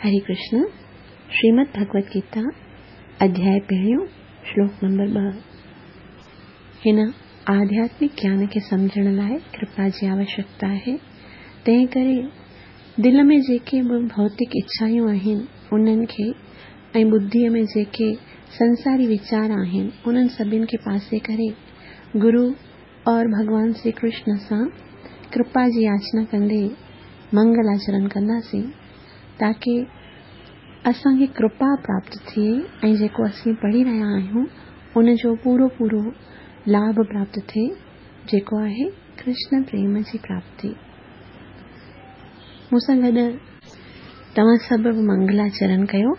هري ڪرشن، شريمد ڀڳوت گيتا، اڌياء پهريون، شلوڪ نمبر 2. هن آڌياتمڪ گيان کي سمجهڻ لاء ڪرپا جي آوشيڪتا آهي، تنهن ڪري دل ۾ جيڪي به ڀوتڪ اڇائون آهن، انهن کي ۽ ٻڌيء ۾ جيڪي سنساري ويچار آهن، انهن سڀن کي پاسي ڪري گرو اور ڀڳوان شري ڪرشن سان ڪرپا جي ياچنا ڪندي منگل آچرڻ ڪنداسين تاڪه اسان کي ڪرپا پراپت ٿئي ۽ جيڪو اسين پڙهي رهيا آهيون ان جو پورو پورو لاڀ پراپت ٿئي جيڪو آهي ڪرشن پريم جي پراپتي. مون سان گڏ توهان سڀ به منگلاچرڻ ڪيو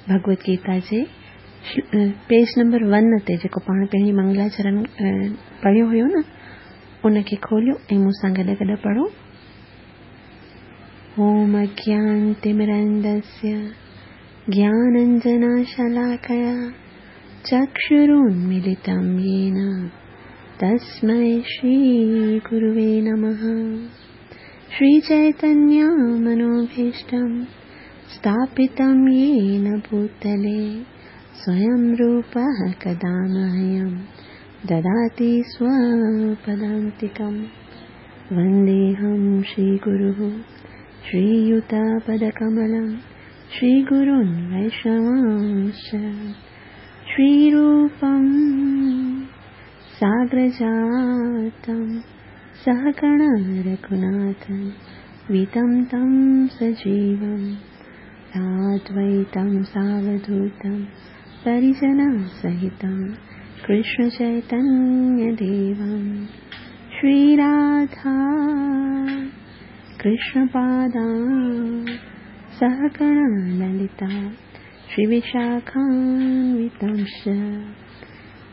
ڀڳوت گيتا جي پيج نمبر ون تي جيڪو پاڻ پهرين منگلاچرڻ پڙهيو هيو نه ان کي کوليو ۽ مون سان گڏ گڏ پڙهو. اوم اجيانتمرندسيه گيانانجناشلاڪيا چڪشرونميلتم يين تسمي شري گروي نمه. شري چيتنيه منوڀيشٽم اسٿاپتم يين ڀوتلي سويم روپه ڪدا مهيم دداتي سوپدانتڪم. ونديهم شري گروه شرييتپدڪملم شري گرون ويشنوانش شري روپم ساگرجاتم سهگڻ رघناٿن ويتم تم سجيوم سادويتم ساوڌوتم پريجن سهتم ڪرشن چيتنيه ديوم شري راڌا ڪرشن پادان سهگڻ للتا شري وشاکانوتمش.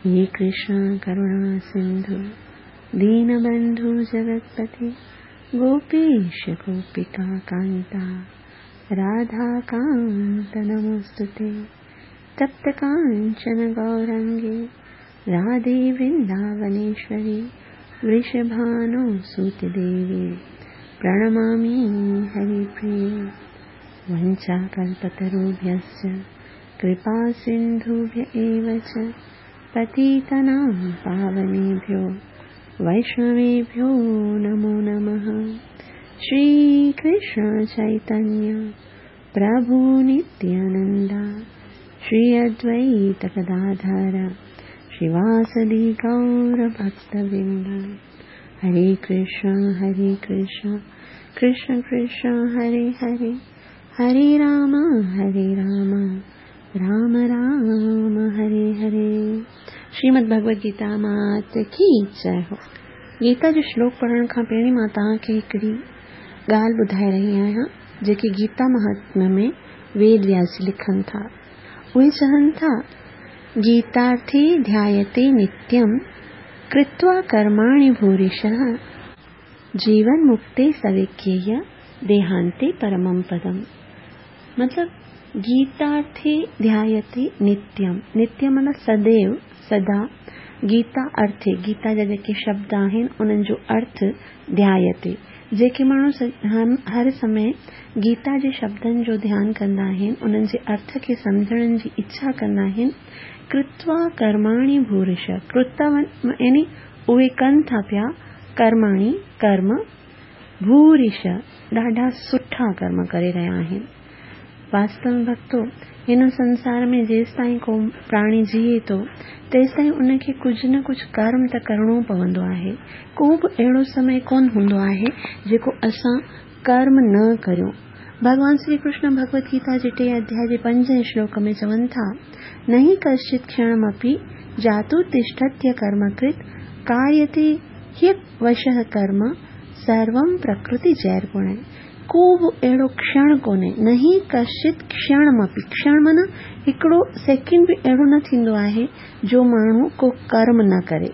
هي ڪرشن ڪروڻا سنڌو دين بنڌو جگتپتي گوپيش گوپيڪا ڪانتا راڌا ڪانت نموستتي. تپت ڪانچن گورانگي راڌي ورنداونيشوري ورشڀانو سوت ديوي پرڻمامي هري پريي. ونچا ڪلپتروڀيشچ ڪرپا سنڌوڀي ايو چ پتيتنام پاونيڀيو ويشنويڀيو نمو نمه. شري ڪرشن چيتنيه پرڀو نتيانندا شري ادويت گداڌر شريواسدي گور ڀڪت ورند. هري ڪرشن هري ڪرشن ڪرشن ڪرشن هري هري هري رام هري رام رام رام هري هري. شريمد ڀڳوت گيتا مات ڪي جئي هو. گيتا جو شلوڪ پڙهڻ کان پهرين مان توهان کي هڪڙي ڳالهه ٻڌائي رهي آهيان جيڪي گيتا مهاتميه ۾ ويد وياس جي لکن ٿا. اهي چون ٿا، گيتارٿي ڌيايتي نتيم ڪرتوا ڪرماڻي ڀوريشः جيون مڪتي سويڪييه ديهانتي پرمم پدم. مطلب گيتارٿي ڌيايتي نتيم، نتيم معنيٰ سديو، سدا، گيتا ارٿي، گيتا جا جيڪي شبد آهن انهن جو ارٿ ڌيايتي، جيڪي ماڻهو هر سمي گيتا جي شبدن جو ڌيان ڪندا آهن، انهن جي ارٿ کي سمجهڻ جي اڇا ڪندا آهن، ڪرتوا ڪرماڻي ڀورش، ڪرتوا يعني اهي ڪن ٿا پيا، ڪرماڻي ڪرم، ڀورش ڏاڍا سٺا ڪرم ڪري رهيا آهن. واستو ۾ ڀڳتو، هن سنسار ۾ جيستائين ڪو پراڻي جيئي ٿو، تيستائين ان کي ڪجهه نه ڪجهه ڪرم ته ڪرڻو پوندو آهي. ڪو به اهڙو سمي ڪونه هوندو آهي، جيڪو اسان ڪرم نه ڪريون. ڀڳوان شري ڪرشن ڀڳوت گيتا جي ٽئين اڌياء جي پنجين شلوڪ ۾ چون ٿا، نهي ڪشچت ڪشڻمپي جاتو تشٺتي ڪرمڪرت ڪاريتي هيڪ وشه ڪرم سروم پرڪرتي جيرگڻ. ڪو به اهڙو ڪشڻ ڪونهي، نهي ڪشچت ڪشڻمپي، ڪشڻ معنيٰ هڪڙو سيڪنڊ به اهڙو نه ٿيندو آهي جو ماڻهو ڪو ڪرم نه ڪري.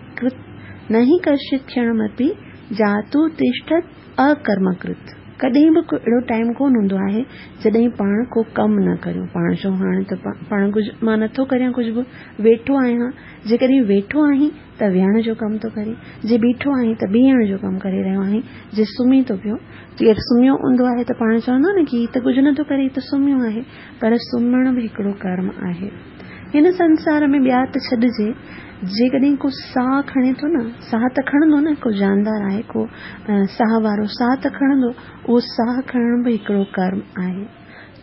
نهي ڪشچت ڪشڻمپي جاتو تشٺت اڪرمڪرت. ڪڏهن به ڪو اهڙو ٽائيم ڪونه هوندو آهي جڏهن پاڻ ڪو ڪم نه ڪريون. پاڻ چئون هاڻي ته پاڻ ڪجهه مان نٿو ڪريان ڪجهه به ويٺو آهيان. جيڪڏهن ويٺو آهين ته ويهڻ جو ڪم ٿو ڪرين، جي بيٺو آهين ته بيهڻ جو ڪم ڪري رهيو آهين، جي سمهي ٿو پيو، ڪير سمهيو هوندو آهي ته پاڻ چوندا نه ڪي هي ته ڪجهه نٿو ڪري هي ته سمهيو آهي، پر سمهڻ به هڪڙو ڪرم آهي. هن سنسار ۾ ٻيا ته ڇڏجي، جيڪڏهن ڪو ساهه کڻي ٿو نه، ساهه ته کڻندو نه، ڪو جاندار آهي، ڪو ساهه وارو ساهه ته کڻندو، اهو ساهه کڻڻ به هڪڙو ڪرم آهي.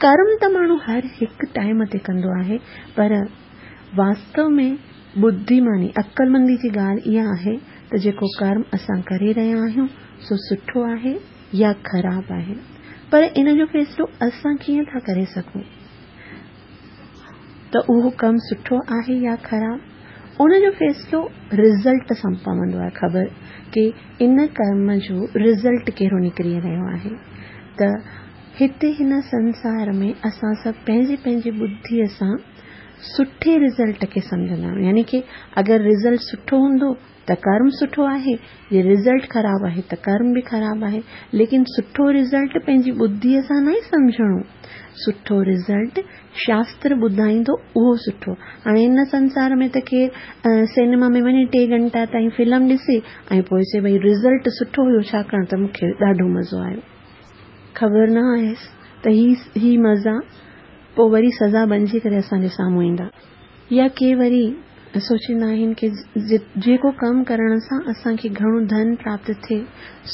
ڪرم ته ماڻهو هر هڪ ٽائيم تي ڪندو آهي، پر واستو ۾ ٻڌيماني، عقلمندي جي ڳالهه اها آهي ته جيڪو ڪرم اسان ڪري رهيا آهيون سو سٺو آهي يا خراب آهي. پر ان جو فيصلو اسان ڪيئن ٿا ڪري سگهون ته اهو ڪم سٺو آهي يا خراب؟ ان جو فيصلو رزلٽ سان پوندو آهي خبر ڪي ان ڪرم جو رزلٽ ڪهڙو نڪري رهيو آهي ته هتي هن سنسار ۾ اسان سڀ پنهنجي پنهنجي ٻڌيء سان سٺي رزلٽ کي سمجهندا آهيون يعني ڪي اگر رزلٽ سٺو هوندو ته ڪرم سٺو آهي جي رزلٽ خراب آهي ته ڪرم به خراب آهي ليڪن سٺو رزلٽ پنهنجي ٻڌيء سان ناهي سمجهڻو سٺو رزلٽ شاستر ٻڌائيندو اهو سٺو هاڻي هن سنسار ۾ ته ڪير سئنيما ۾ وڃي ٽي گهنٽا تائين فلم ڏسي ۽ پوء چئي ڀئي رزلٽ سٺو هيو ڇاڪاڻ ته مون کي ڏاڍو مزو آيو خبر نه آهيس ته هي هي مزا پوء وري سزا بنجي ڪري اسان جي سامهون ايندا. يا ڪي وري سوچيندا آهن ڪي جيڪو ڪم ڪرڻ سان اسان کي گهڻو ڌن پراپت ٿئي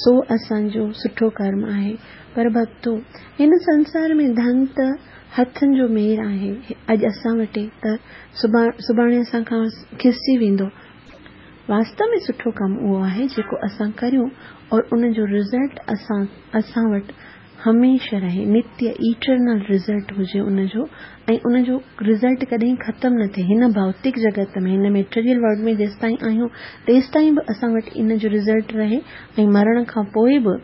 سو اسان جو سٺو ڪرم آهي. پر ڀڳتو! هن سنسار ۾ ڌن ته هٿن جو مير آهي. اڄ اسان وٽ ته سڀاڻي اسان کان کسجي ويندو. واستو ۾ سٺو ڪم اهو آهي جيڪو اسان ڪريون اور ان جو رزلٽ اسان وٽ هميشه رهي، نتيه، Eternal، result هجي ان جو ۽ ان جو رزلٽ ڪڏهن ختم نه ٿئي. هن ڀوتڪ جڳت ۾، هن ميٽريل ورلڊ ۾ جيستائين آهيون تيستائين به اسان وٽ ان جو رزلٽ رهي ۽ مرڻ کان پوء به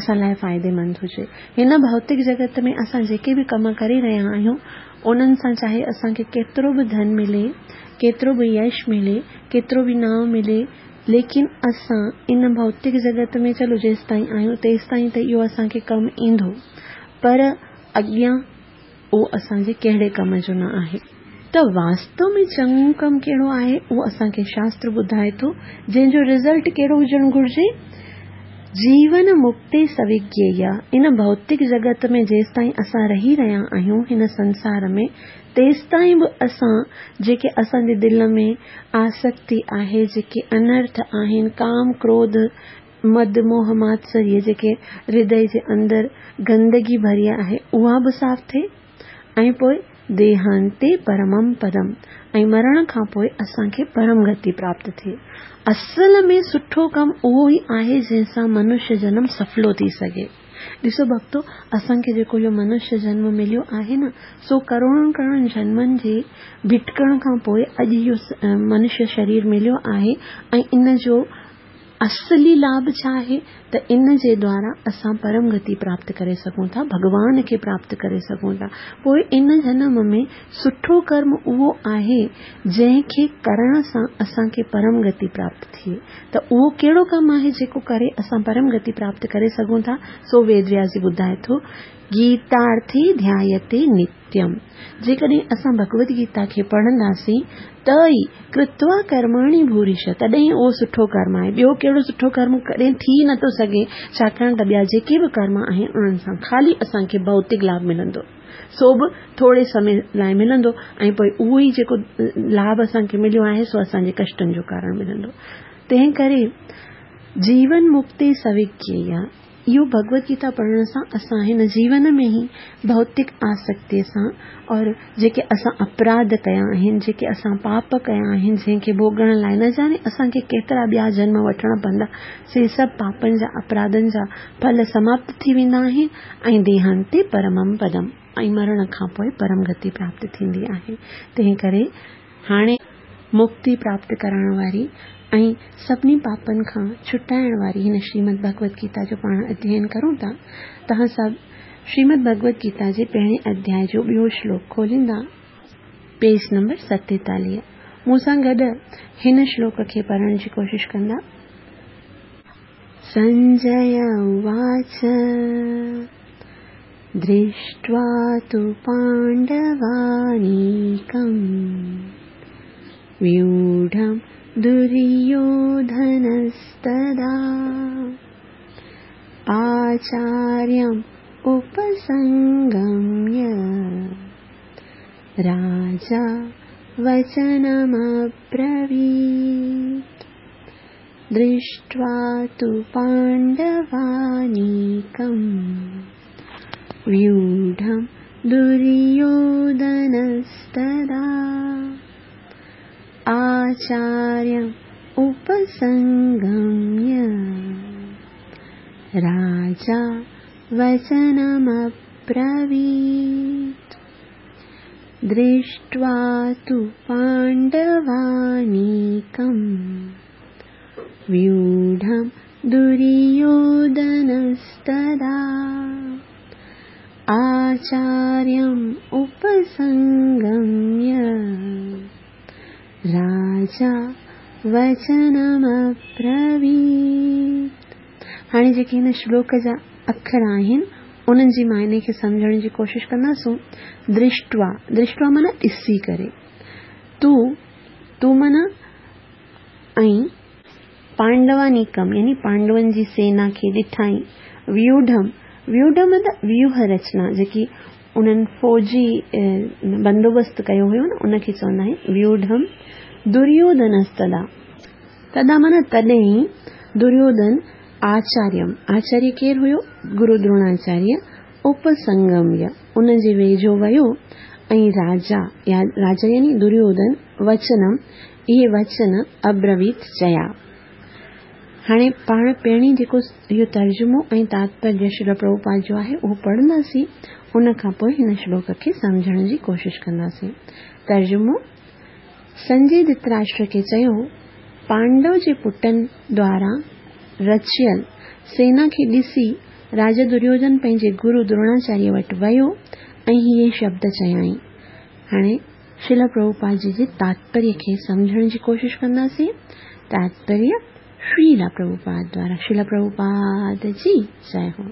اسان لاء فائديمند هجي. هن ڀوتڪ جڳت ۾ اسان جيڪي به ڪم ڪري رهيا آهيون انهن سان چاهي اسان کي ڪيترو به ڌن ملي، ڪيترو به يش ملي، ڪيترو به نانء ملي، ليڪن اسان ان ڀوتڪ جڳت ۾ چلو جيستائين آهيون تيستائين ته اهو اسان کي ڪم ايندو پر اڳيان اهو اسان جي ڪهڙي ڪم جو نه آهي. ته واستو ۾ چڱو ڪم ڪهڙو آهي اهو اسان کي شاستر ٻڌائي ٿو جنهن جو رزلٽ ڪهڙو هجڻ گهرجي؟ جيون مڪتي سوگيئيا ان ڀوتڪ جڳت ۾ جيستائين اسان رهي رهيا آهيون هن سنسار ۾ تيستائين به اسان جيڪي اسان جي دل ۾ آسڪتي آهي، جيڪي انرٿ آهن، ڪام، ڪروڌ، مد، موهه، ماتسريه جيڪي هردي جي اندر گندگي ڀري آهي، اها به صاف ٿئي ۽ پوء ديهانتي پرمم پدم ۽ مرڻ کان پوء اسان کي پرم گتي پراپت ٿئي. اصل ۾ سٺو ڪم اهو ئي آهي جنهن سان منشيه جنم سڦلو ٿي سگهي. ڏسو ڀڳتو، اسان کي جيڪو اهو منشيه جنم مليو آهي نه، سو ڪروڙن ڪروڙن جنمن جي ڀٽڪڻ کان پوء اڄ اهو منشيه شرير مليو آهي ۽ ان جو اصلي لاڀ ڇا آهي ته ان جي دوارا اسان پرم گتي پراپت ڪري سگهون ٿا، ڀڳوان کي پراپت ڪري سگهون ٿا. پوء ان جنم ۾ سٺو ڪرم اهو آهي جنهن کي ڪرڻ سان اسان کي پرم گتي پراپت ٿئي. ته اهو ڪهڙو ڪم آهي جيڪو ڪري اسان پرم گتي پراپت ڪري سگهون ٿا، سو ويد وياس جي ٻڌائي ٿو، گيتارٿي ڌيايتي نتيم. جيڪڏهن اسان ڀڳوت گيتا کي پڙهنداسين ته ئي ڪرتوا ڪرماڻي ڀوريش تڏهن ئي اهو سٺو ڪرم آهي، ٻيو ڪهڙو سٺو ڪرم ڪڏهن ٿي ئي نٿو سگهي، ڇاڪاڻ ته ٻيا جيڪي به ڪرم آهن انهن سان خالي اسان کي ڀوتڪ لاڀ ملندو. سو به ٿوري سمي لاء ملندو ۽ پوء اهو ئي جيڪو لاڀ اسان کي مليو آهي سو اسان جي ڪشٽن جو ڪارڻ ملندو. تنهن ڪري جيون مڪتي سوگيئيا اهو ڀڳوت گيتا پڙهڻ سان اسان هن جيون ۾ ئي ڀوتڪ آسڪتيء سان اور جيڪي اسان اپراڌ ڪيا آهن، جيڪي اسان پاپ ڪيا آهن، جنهن کي ڀوڳڻ لاء نه ڄاڻي اسان کي ڪيترا ٻيا جنم وٺڻا پوندا، سي سڀ پاپن جا اپراڌن جا ڦل سماپت ٿي ويندا آهن ۽ ديهانتي پرمم پدم ۽ مرڻ کان پوء پرم گتي پراپت ٿيندي آهي. تنهن ڪري هاڻي مڪتي پراپت ڪرائڻ واري ۽ سڀني پاپن کان ڇٽائڻ واري هن شريمد ڀڳوت گيتا جو پاڻ اڌيين ڪرون ٿا. توهان سڀ شريمد ڀڳوت گيتا جي پهرين اڌياء جو ٻيو شلوڪ کوليندا. Page number 47. مون سان گڏ هن شلوڪ کي پڙهڻ جي ڪوشش ڪندا. सञ्जय उवाच, दृष्ट्वा तु पाण्डवानीकम् व्यूढं दुर्योधनस्तदा आचार्यम् उपसङ्गम्य राजा वचनमब्रवीत्। दृष्ट्वा तु पाण्डवानीकम् व्यूढं दुर्योधनस्तदा आचार्यम् उपसङ्गम्य राजा वचनमब्रवीत्। दृष्ट्वा तु पाण्डवानीकम् व्यूढं दुर्योधनस्तदा आचार्यम् उपसङ्गम्य राजा वचनमब्रवीत्। हाणे जेके हिन श्लोक जा अखर आहिनि उन्हनि जी मायने खे सम्झण जी कोशिशि कंदासूं। दृष्ट्वा, दृष्ट्वा माना ॾिसी करे, तूं तूं माना ऐं पांडवानीकम यानी पांडवनि जी सेना खे ॾिठाई। व्यूढम, व्यूढम मतलब व्यूह रचना, जेकी उन्हनि फ़ौजी बंदोबस्तु कयो हुयो न उनखे चवंदा आहिनि व्यूढम। दुर्योधनस्तदा, तदा माना तॾहिं, दुर्योधन आचार्यम, आचार्य केरु हुयो? गुरु द्रोणाचार्य। उपसंगम्य उन जे वेझो वियो ऐं राजा या राजा यानी दुर्योधन वचनम इहे वचन अब्रवीत चया। हाणे पाण पहिरीं जेको इहो तर्जुमो ऐं तात्पर्य श्रील प्रभुपाद जो आहे उहो पढ़ंदासीं, उन खां पोइ हिन श्लोक खे सम्झण जी कोशिशि कंदासीं। तर्जुमो: संजय धृतराष्ट्र खे चयो, पांडव जे पुटनि द्वारा रचियल सेना खे ॾिसी राजा दुर्योधन पंहिंजे गुरु द्रोणाचार्य वटि वियो ऐं इहे शब्द चयाईं। हाणे श्रील प्रभुपाद जी जे तात्पर्य खे सम्झण जी कोशिशि कंदासीं। तात्पर्य श्रील प्रभुपाद द्वारा, श्रील प्रभुपाद जी जय हो।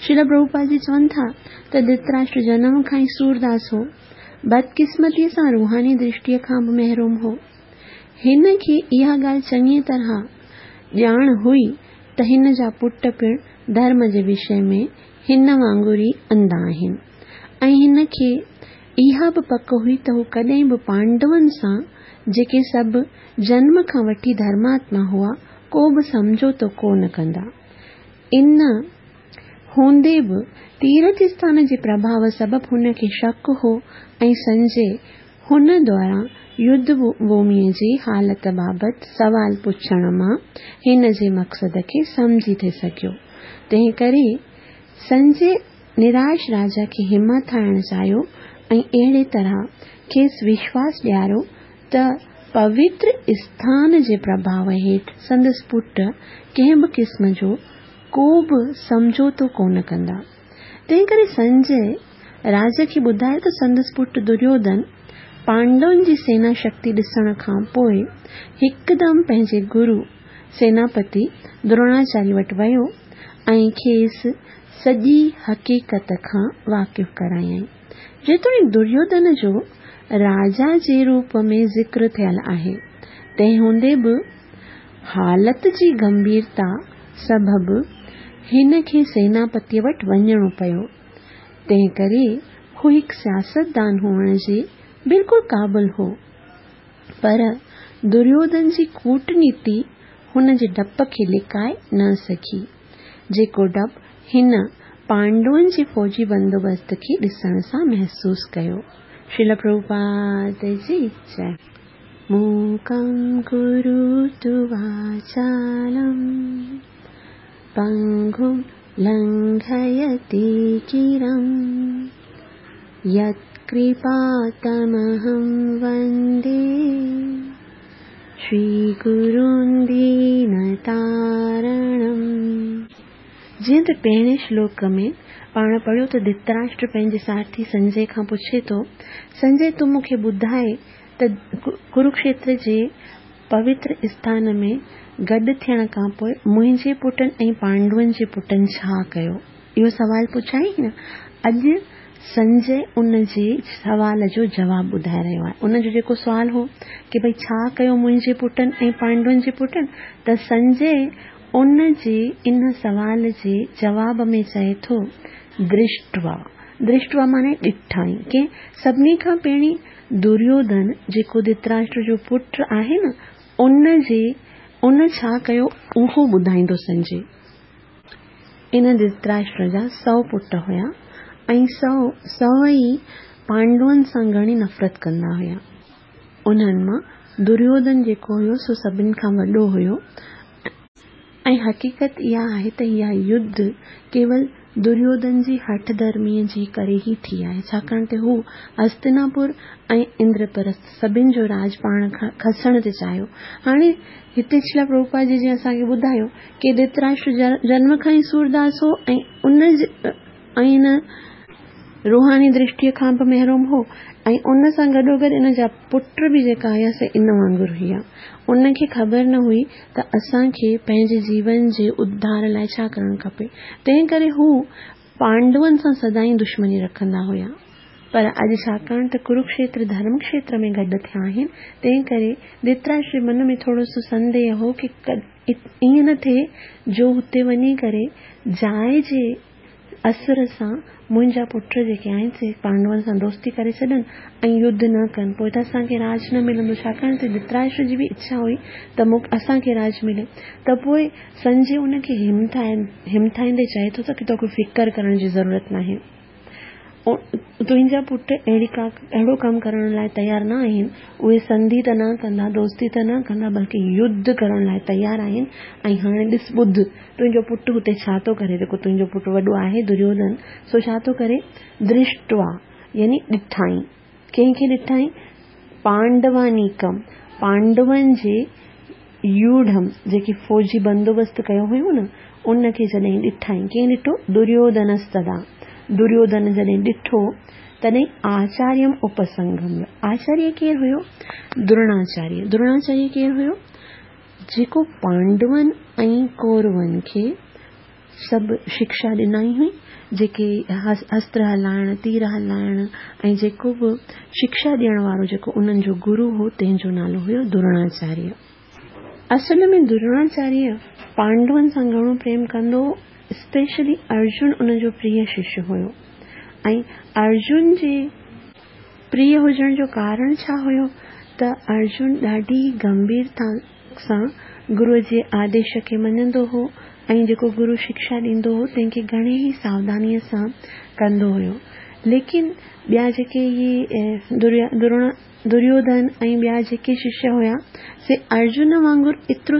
श्रील प्रभुपाद जी चवनि था त धृतराष्ट्र जनम खां ई सूरदास हो, बदकिस्मतीअ सां रूहानी दृष्टीअ खां बि महरूम हो। हिन खे इहा ॻाल्हि चङीअ तरह ॼाण हुई त हिन जा पुट पिणु धर्म जे विषय में हिन वांगुरु ई अंधा आहिनि ऐं हिन खे इहा बि पक हुई त हू कॾहिं बि पांडवनि सां, जेके सभु जन्म खां वठी धर्मात्मा हुआ, को बि सम्झौतो कोन कंदा। इन हूंदे बि तीर्थ स्थान जे प्रभाव सबबु हुनखे शक हो ऐं संजय हुन द्वारा युद्ध भूमिअ जी हालत बाबति सवाल पुछण मां हिन जे मक़सद खे सम्झी थी सघियो। तंहिं करे संजय निराश राजा खे हिमत आणणु चाहियो ऐं अहिड़े तरह खेसि विश्वास ॾियारियो त पवित्र स्थान जे प्रभाव हेठि संदसि पुट कंहिं बि क़िस्म जो को बि सम्झौतो कोन कंदा। तंहिं करे संजय राजा खे ॿुधायो त संदसि पुट दुर्योधन पांडवनि जी सेना शक्ति ॾिसण खां पोइ हिकदमि पंहिंजे गुरु सेनापति द्रोणाचार्य वटि वियो ऐं खेसि सॼी हक़ीक़त खां वाक़िफ़ करायईं। जेतोणीकि दुर्योधन जो राजा जे रूप में ज़िक्र थियल आहे, तंहिं हूंदे बि हालत जी गंभीरता सबबु हिन खे सेनापतीअ वटि वञिणो पियो। तंहिं करे हू हिकु सियासतदान हुअण जे बिल्कुलु क़ाबिल हो, पर दुर्योधन जी कूटनीति हुन जे डप खे लिकाए न सघी, जेको डप हिन पांडवनि जे फ़ौजी बंदोबस्त खे ॾिसण सां महसूसु कयो। श्रील प्रभुपाद जी जय। मूकं करोतु वाचालं पङ्गुं लङ्घयते गिरिं यत्कृपातमहं वन्दे श्रीगुरुं दीनतारणम्। जीअं त पहिरें श्लोक में पाण पढ़ियो त धृतराष्ट्र पंहिंजे साथी संजय खां पुछे थो, संजय तूं मूंखे ॿुधाए त कुरुक्षेत्र जे پوتر اسٿان ۾ گڏ ٿيڻ کان پوء منهنجي پٽن ۽ پانڊون جي پٽن ڇا ڪيو؟ اهو سوال پڇيائين نه. اڄ سنجي ان جي سوال جو جواب ٻڌائي رهيو آهي. ان جو جيڪو سوال هو ڪي ڀئي ڇا ڪيو منهنجي پٽن ۽ پانڊون جي پٽن ته سنجي ان جي ان سوال جي جواب ۾ چئي ٿو درشٽوا درشٽوا معني ڏٺائين ڪنهن سڀني کان پهرين دريوڌن جيڪو ڌرتراشٽر جو پٽ آهي نه ان جي ان ڇا ڪيو اهو ٻڌائيندو سنجي. ان ڌرتراشٽر جا سو پٽ هيا ۽ سو ئي پانڊون سان گهڻي نفرت ڪندا هيا. انهن مان دريوڌن جيڪو هيو سو سڀن کان وڏو هيو ۽ حقيقت اها آهي ته اها يڌ ڪيول دريوڌن جي هٺ ڌرميء جي ڪري ئي ٿي آهي، ڇاڪاڻ ته هو هستناپور ۽ اندرپرسٿ سڀن جو راڄ پاڻ کسڻ ٿي چاهيو. هاڻي هتي شريلا پرڀوپاد جي جيئن اسان کي ٻڌايو ڪي ڌرتراشٽر جنم کان ئي سورداس هو ۽ ان ۽ ان روحاني درشٽيء کان به محروم هو ۽ ان سان گڏوگڏ ان جا پٽ به جيڪا هيا سي ان وانگر هيا. ان کي خبر نه هئي ته اسان کي پنهنجي جيون جي اڌار لاء ڇا ڪرڻ کپي. تنهن ڪري هو پانڊون سان سدائين دشمني رکندا هيا. پر اڄ ڇاڪاڻ ته ڪروڪشيتر ڌرم کيتر ۾ گڏ ٿيا آهن، تنهن ڪري ڌرتراشٽر جي من ۾ ٿورو سو سنديهه هو ڪي ائين نه ٿئي جو هتي وڃي ڪري جاء جي اثر سان منهنجا پٽ جيڪي آهن سي پانڊون سان دوستي ڪري ڇڏن ۽ يڌ نه ڪن پوء ته اسان کي راڄ نه ملندو ڇاڪاڻ ته ڌرتراشٽر جي به اڇا هئي ته مون اسان کي راڄ ملي ته پوء سنجي ان کي همٿائيندي چئي ٿو ته توکي فڪر ڪرڻ جي ضرورت ناهي. تنهنجا پٽ اهڙي ڪا اهڙو ڪم ڪرڻ لاء تيار نه آهن، اهي سنڌي ته نه ڪندا، دوستي ته نه ڪندا، بلڪه يڌ ڪرڻ لاء تيار آهن ۽ هاڻي ڏس ٻڌ، تنهنجو پٽ هتي ڇا ٿو ڪري، جيڪو تنهنجو پٽ وڏو آهي دريوڌن، سو ڇا ٿو ڪري؟ درشٽوا يعني ڏٺائين. ڪنهن کي ڏٺائين؟ پانڊوانيڪم، پانڊون جي يوڍم، جيڪي فوجي بندوبست ڪيو هيو نه، ان کي جڏهن ڏٺائين، ڪنهن ڏٺو؟ دريوڌنستدا، دريوڌن جڏهن ڏٺو، تڏهن آچاريم اپسنگميه، آچاريه ڪير هيو؟ درڻاچاريه، درڻاچاريه ڪير هيو؟ جيڪو پانڊون ۽ ڪورون کي سڀ شڪشا ڏنائين هئي، جيڪي استر هلائڻ، تير هلائڻ ۽ جيڪو به شڪشا ڏيڻ وارو جيڪو انهن جو گرو هو، تنهن جو نالو هيو درڻاچاريه. اصل ۾ درڻاچاريه پانڊون سان گهڻو پريم ڪندو هو، اسپيشلي ارجن ان جو پريه ششيه هيو ۽ ارجن جي پريه هجڻ جو ڪارڻ ڇا هيو ته ارجن ڏاڍي گنڀيرتا سان گروء جي آديش کي مڃندو هو ۽ جيڪو گرو شڪشا ڏيندو هو تنهن کي گهڻي ئي ساوڌانيء سان ڪندو هيو. ليڪن ٻيا جيڪي اهي دريوڌن ۽ ٻيا جيڪي ششيه هيا سي ارجن وانگر ايترو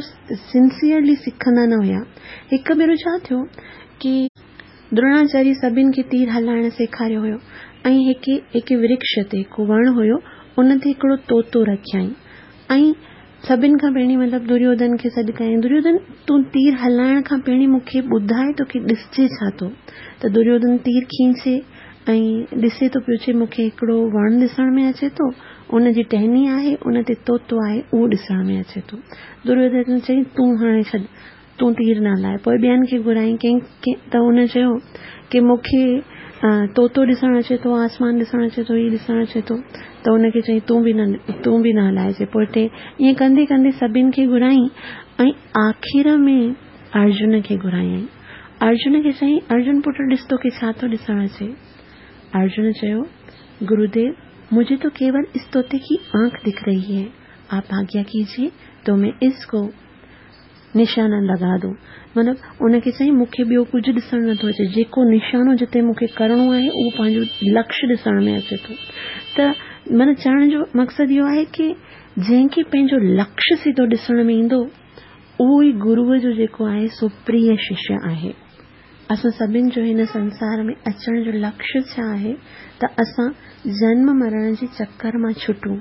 سنسيئرلي سکندا نه هيا. هڪ ڀيرو ڇا ٿيو ڪي. درڻاچاريه سڀن کي تير هلائڻ سيکاريو هيو ۽ هڪ هڪ ورڪش تي هڪ وڻ هيو ان تي هڪڙو طوطو رکيائين ۽ سڀن کان پهرين مطلب دريوڌن کي سڏ ڪيائين دريوڌن تون تير هلائڻ کان پهرين مون کي ٻڌاء توکي ڏسجي ڇا ٿو ته دريوڌن تير کينچي ۽ ڏسي ٿو پيو چي مون کي هڪڙو وڻ ڏسڻ ۾ اچي ٿو ان جي ٽهني آهي ان تي طوطو آهي اهو ڏسڻ ۾ اچي ٿو دريوڌن چيائين تون هاڻي ڇڏ تون تير نه هلاء. پوء ٻين کي گهرايائين ڪنهن کي ته ان چيو ڪي مون کي طوطو ڏسڻ اچي ٿو، آسمان ڏسڻ اچي ٿو، هي ڏسڻ اچي ٿو ته ان کي چيائين تون به نه تون به نه هلائجي. پوء ٽي ائين ڪندي ڪندي سڀن کي گهرايائين ۽ آخر ۾ ارجن کي گهرايائين. ارجن کي چيائين ارجن پٽ ڏس توکي ڇا ٿو ڏسڻ اچي؟ ارجن چيو گروديو مجهي تو ڪيول اس طوطي ڪي آنک دک رهي هي، آپ آگيا ڪيجئي تو مين اس ڪو نشانا لڳا دون. مطلب ان کي چيائين مون کي ٻيو ڪجهه ڏسڻ نٿو اچي، جيڪو نشانو جتي مون کي ڪرڻو آهي اهو پنهنجو لڪش ڏسڻ ۾ اچي ٿو. ته معنيٰ چوڻ جو مقصد اهو آهي ڪي جنهن کي پنهنجو لڪش سڌو ڏسڻ ۾ ايندو اهو ئي گروء جو جيڪو آهي سو پريه ششيه آهي. اسان سڀن جو هن سنسار ۾ اچڻ جو لڪش ڇا آهي ته اسان جنم مرڻ جي چڪر مان ڇٽون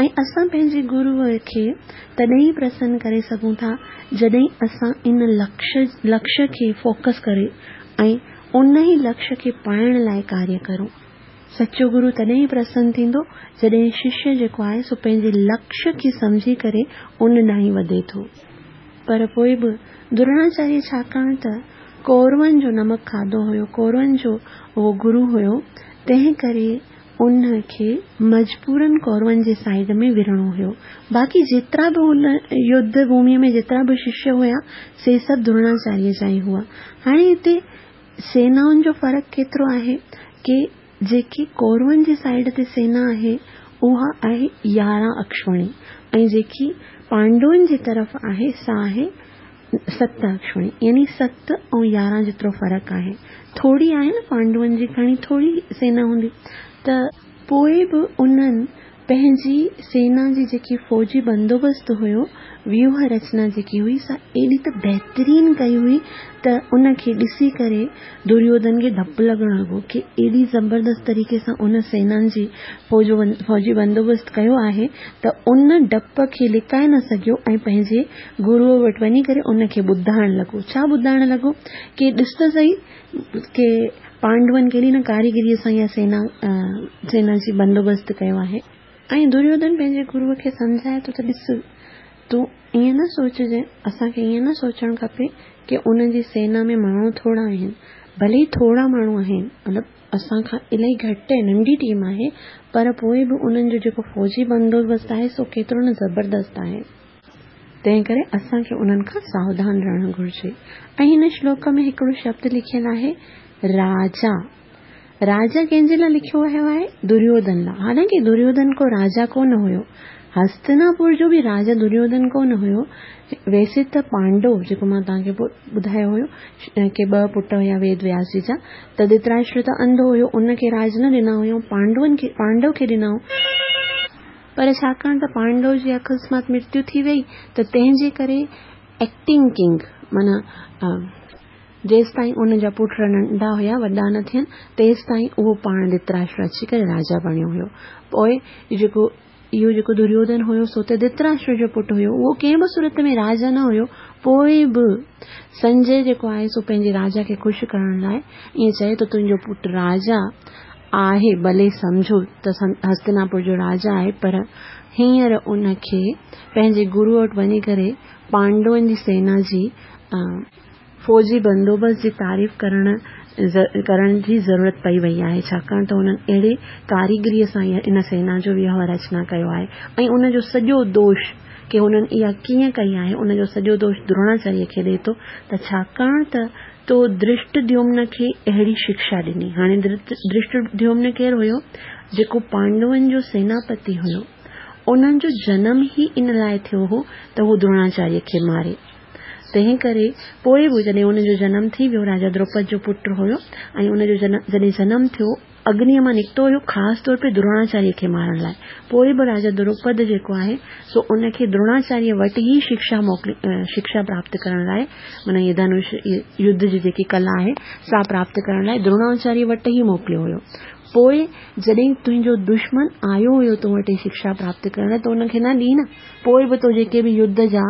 ۽ اسان پنهنجي گروء کي تڏهن ئي پرسن ڪري سگهون ٿا جڏهن اسان ان لڪش لڪش کي فوڪس ڪري ۽ ان ئي لڪش کي پائڻ لاء ڪاريه ڪرون. سچو گرو تڏهن ئي پرسن ٿيندو جڏهن ششيه جيڪو آهي سو پنهنجي لڪشيه کي سمجهي ڪري ان ڏانهن ئي وڌي ٿو. پر پوء به دروناچاريه ڇاڪاڻ ته ڪورون جو نمڪ کاڌو هيو، ڪورون جو اهو گرو هيو، تنهن ڪري ان کي مجبورن ڪورون جي سائيڊ ۾ وڙهڻو هيو. باقي جيترا به ان يڌ ڀوميء ۾ جيترا به ششيه هيا، سي سڀ دروناچاريه جا ئي هئا. هاڻي هتي سينائن جو فرق ڪيترو آهي ڪي جيڪي ڪورون جي سائيڊ تي سينا آهي، اها آهي 11 اڪشوڻي ۽ جيڪي پانڊون جي طرف آهي، سا آهي 7 اڪشوڻي يعني 7 ۽ 11 جيترو فرق آهي. ٿوري آهي نه پانڊون جي کڻي ٿوري سينا هوندي ته پوء به انهن پنهنجي سينا جي جيڪي فوجي بندوبست هيو، ويوهه رچنا جيڪي هئي سا ايڏي ته بهترين ڪئي هئي ته ان کي ڏسي ڪري دريوڌن کي ڊپ لڳڻ لڳو ڪي ايڏي زبردست طريقي سان ان سينان جي فوجي بندوبست ڪيو آهي ته ان ڊپ کي لڪائي نه سگهيو ۽ پنهنجي گروء وٽ وڃي ڪري ان کي ٻڌائڻ لڳو. ڇا ٻڌائڻ لڳو ڪي ڏس ته سهي ڪي پانڊون ڪيڏي نه ڪاريگريء سان اها سينا سينا جي بندوبست ڪيو آهي. ۽ دريوڌن پنهنجي گروء کي سمجهائي ٿو ته ڏس تون ائين نه سوچجين، اسان کي ائين نه سوچڻ کپي ڪي ان جي سينا ۾ ماڻهو ٿورا آهن، ڀلي ئي ٿورا ماڻهو آهن، مطلب اسان کان الاهي گهٽ ۽ ننڍي ٽيم آهي، پر پوء به انهن جو جيڪو فوجي بندوبست آهي سو ڪيترو نه زبردست آهي. تنهن ڪري اسان کي انهن کان ساوڌان رهڻ گهرجي. ۽ هن شلوڪ ۾ هڪڙو شبد لکيل آهي راجا. راجا ڪنهن جي لاء لکيو ويو آهي؟ دريوڌن لاء. حالانڪه دريوڌن ڪو راجا ڪونه هيو. هستناپور جو به راجا دريوڌن ڪونه هيو. ويسي ته پانڊو جيڪو مان توهان کي ٻڌايو هيو ڪي ٻه پٽ هيا ويد وياس جي جا ته ڌرتراشٽر ته انڌو هيو ان کي راج نه ڏنا هيائون پانڊون کي پانڊو کي ڏنائون. پر ڇاڪاڻ ته پانڊو جي اڪسمات مرتيو ٿي ويئي ته تنهن جي ڪري ايڪٽنگ ڪنگ معنيٰ جيستائين ان جا پٽ ننڍا هيا وڏا نه ٿين تيستائين اهو پاڻ ڌرتراشٽر اچي ڪري راجا بڻيو هيو. پوء جيڪو اهو جيڪو دريوڌن هيو سو ته ڌرتراشٽر جو پٽ هيو اهو ڪنهن به صورت ۾ راجا نه هيو پوء به سنجي جيڪو آهي سو پنهنجي راجا کي خوش ڪرڻ لاء ائين چئي ٿو تنهنجو پٽ راجا آهي، ڀلي سمجهو ته هستناپور جو راجا آهي، پر هينئر ان کي پنهنجي گروء وٽ وڃي ڪري پانڊون جي سينا جي فوجي بندوبست جي تعريف ڪرڻ ڪرڻ جي ضرورت پئي وئي آهي، ڇاڪاڻ ته هنن اهڙي ڪاريگريء سان ان سينا جو ويوهه رچنا ڪيو آهي ۽ ان جو سڄو دوش ڪي هنن اها ڪيئن ڪئي آهي، ان جو سڄو دوش دروناچاريه کي ڏئي ٿو ته ڇاڪاڻ ته تو ڌرشٽديومن کي اهڙي شڪشا ڏني. هاڻي ڌرشٽديومن ڪير هيو؟ جيڪو پانڊون جو سيناپتي هيو. انهن جو جنم ئي ان لاء ٿيو هو ته هو دروناچاريه کي ماري. تنهن ڪري پوء به جڏهن ان جو جنم ٿي ويو، راجا دروپد جو پٽ هيو ۽ ان جو جڏهن جنم ٿيو، اگنيء مان نڪتو هيو خاص طور تي دروناچاريه کي مارڻ لاء. پوء به راجا دروپد جيڪو آهي سو ان کي دروناچاريه وٽ ئي شڪشا موڪلي شڪشا پراپت ڪرڻ لاء معنيٰ هيء ڌنش يڌ جي جيڪي ڪلا آهي سا پراپت ڪرڻ لاء دروناچاريه وٽ ئي موڪليو هيو. پوء جڏهن تنهنجو دشمن آيو هيو تو وٽ شڪشا پراپت ڪرڻ لاء ته ان کي نه ڏي نه. پوء به تو جيڪي به يڌ جا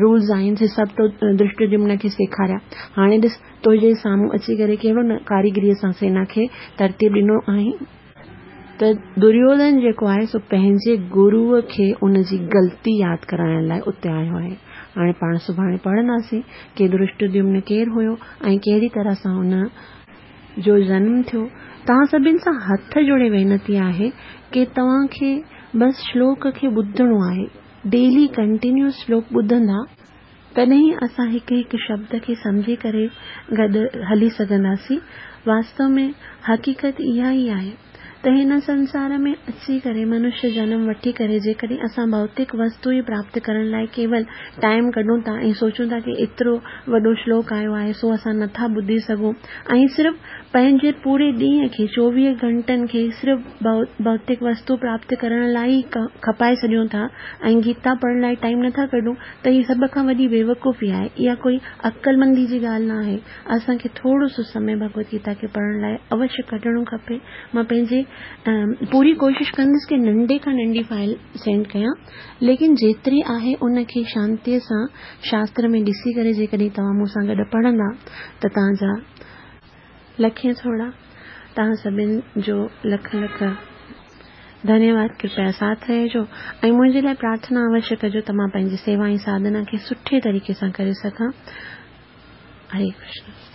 رولز آهن سي سڀ تو ڌرشٽديمن کي سيکاريا. هاڻي ڏس تنهنجي سامهون اچي ڪري ڪهڙو نه ڪاريگريء سان سينا کي ترتيب ڏنو آهين. ته دريوڌن جيڪو آهي سو پنهنجي گروء کي ان جي غلطي ياد ڪرائڻ لاء اتي آيو آهي. هاڻي پاڻ سڀاڻي پڙهنداسين ڪي ڌرشٽديمن ڪير هيو ۽ ڪهڙي طرح سان ان جو جنم ٿيو. توهان سڀن سان هٿ جوڙي وينتي آهي ڪي توهان کي بس شلوڪ کي ٻڌڻو آهي. ڊيلي ڪنٽينيوس شلوڪ ٻڌندا. تڏهن ئي اسان هڪ هڪ شبد کي سمجهي ڪري گڏ هلي سگهنداسين. واستو ۾ حقيقت اها ئي آهي ته هن سنسار ۾ اچي ڪري منشيه جنم وٺي ڪري جيڪڏهن اسان ڀوتڪ وستو ئي پراپت ڪرڻ لاء ڪيول ٽائيم ڪڍون ٿا ۽ سوچون ٿا ڪي ايترو وڏو شلوڪ آيو آهي سو اسان نٿا ٻڌي سگهون ۽ صرف پنهنجي پوري ڏينهن کي 24 گهنٽن کي صرف ڀوتڪ وستو پراپت ڪرڻ لاء ئي کپائي ڇڏيون ٿا ۽ گيتا پڙهڻ لاء ٽائيم نٿا ڪڍون ته هي سڀ کان وڏي بيوقوفي آهي. اها ڪوئي عقلمندي جي ڳالهه نه آهي. اسان کي ٿورو سو سمي ڀڳوت گيتا کي پڙهڻ لاء اوشيه ڪڍڻو کپي. مان پنهنجي پوري ڪوشش ڪندس ڪي ننڍي کان ننڍي فائل سينڊ ڪيان ليڪن جيتري آهي ان کي شانتيء سان شاستر ۾ ڏسي ڪري جيڪڏهن توهان مون سان گڏ پڙهندا ته توهان جا لکين ٿورا. توهان سڀن جو لک لک ڌنيواد ڪرپيا ساٿ رهجو ۽ منهنجي لاء پرارٿنا اوشيه ڪجو ته مان پنهنجي سيوا ۽ ساڌنا کي سٺي طريقي سان ڪري سگهان. هري ڪرشن.